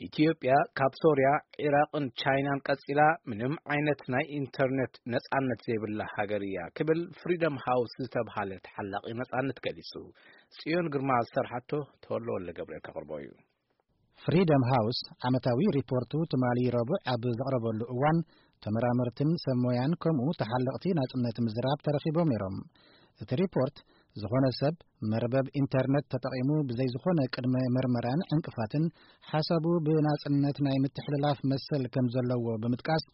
ኢትዮጵያ ካብ ሶርያ፣ ዒራቕን ቻይናን ቀጺላ ምንም ዓይነት ናይ ኢንተርኔት ነጻነት ዘይብላ ሃገር እያ ክብል ፍሪደም ሃውስ ዝተብሃለ ተሓላቒ ነጻነት ገሊጹ። ጽዮን ግርማ ዝሰርሓቶ ተወልደ ወልደ ገብርኤል ከቕርቦ እዩ። ፍሪደም ሃውስ ዓመታዊ ሪፖርቱ ትማሊ ረቡዕ ኣብ ዘቕረበሉ እዋን፣ ተመራመርትን ሰብ ሞያን ከምኡ ተሓለቕቲ ናጽነት ምዝራብ ተረኺቦም ነይሮም። እቲ ሪፖርት፣ ዝኾነ ሰብ መርበብ ኢንተርነት ተጠቒሙ ብዘይ ዝኾነ ቅድመ መርመራን ዕንቅፋትን ሓሳቡ ብናጽነት ናይ ምትሕልላፍ መሰል ከም ዘለዎ ብምጥቃስ፣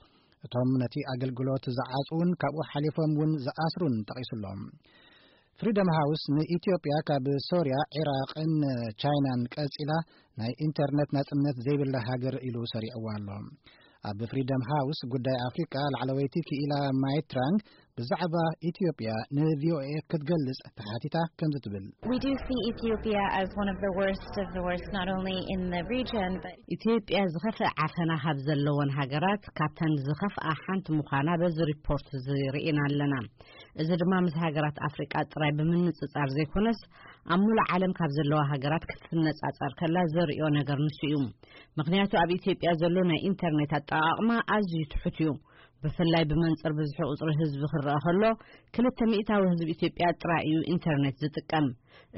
እቶም ነቲ ኣገልግሎት ዝዓጽዉን ካብኡ ሓሊፎም እውን ዝኣስሩን ጠቒሱሎም። ፍሪደም ሃውስ ንኢትዮጵያ ካብ ሶርያ፣ ዒራቕን ቻይናን ቀጺላ ናይ ኢንተርነት ናጽነት ዘይብላ ሃገር ኢሉ ሰሪዕዋ ኣሎ። ኣብ ፍሪደም ሃውስ ጉዳይ ኣፍሪቃ ላዕለወይቲ ክኢላ ማይትራንግ ብዛዕባ ኢትዮጵያ ንቪኦኤ ክትገልጽ ተሓቲታ ከምዚ ትብል። We do see Ethiopia as one of the worst of the worst, not only in the region, but ኢትዮጵያ ዝኸፍአ ዓፈና ካብ ዘለወን ሃገራት ካብተን ዝኸፍኣ ሓንቲ ምዃና በዚ ሪፖርት እዚ ርኢና ኣለና። እዚ ድማ ምስ ሃገራት ኣፍሪቃ ጥራይ ብምንጽጻር ዘይኮነስ፣ ኣብ ሙሉእ ዓለም ካብ ዘለዋ ሃገራት ክትነጻጸር ከላ ዘርእዮ ነገር ንሱ እዩ። ምኽንያቱ ኣብ ኢትዮጵያ ዘሎ ናይ ኢንተርኔት ኣጠቓቕማ ኣዝዩ ትሑት እዩ። ብፍላይ ብመንጽር ብዝሒ ቁጽሪ ህዝቢ ክረኣ ከሎ፣ ክልተ ሚእታዊ ህዝቢ ኢትዮጵያ ጥራይ እዩ ኢንተርኔት ዝጥቀም።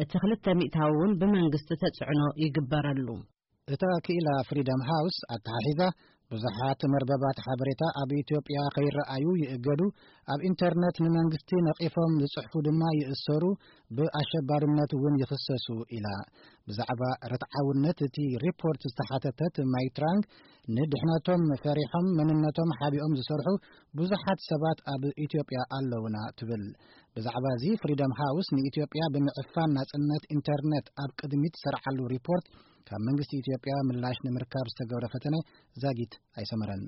እቲ ክልተ ሚእታዊ እውን ብመንግስቲ ተጽዕኖ ይግበረሉ። እታ ክኢላ ፍሪደም ሃውስ ኣተሓሒዛ፣ ብዙሓት መርበባት ሓበሬታ ኣብ ኢትዮጵያ ከይረኣዩ ይእገዱ፣ ኣብ ኢንተርነት ንመንግስቲ ነቒፎም ዝጽሕፉ ድማ ይእሰሩ፣ ብኣሸባርነት እውን ይኽሰሱ ኢላ። ብዛዕባ ርትዓውነት እቲ ሪፖርት ዝተሓተተት ማይትራንግ፣ ንድሕነቶም ፈሪሖም መንነቶም ሓቢኦም ዝሰርሑ ብዙሓት ሰባት ኣብ ኢትዮጵያ ኣለውና ትብል። ብዛዕባ እዚ ፍሪደም ሃውስ ንኢትዮጵያ ብምዕፋን ናጽነት ኢንተርነት ኣብ ቅድሚት ዝሰርዓሉ ሪፖርት ካብ መንግስቲ ኢትዮጵያ ምላሽ ንምርካብ ዝተገብረ ፈተነ ዛጊት ኣይሰመረን።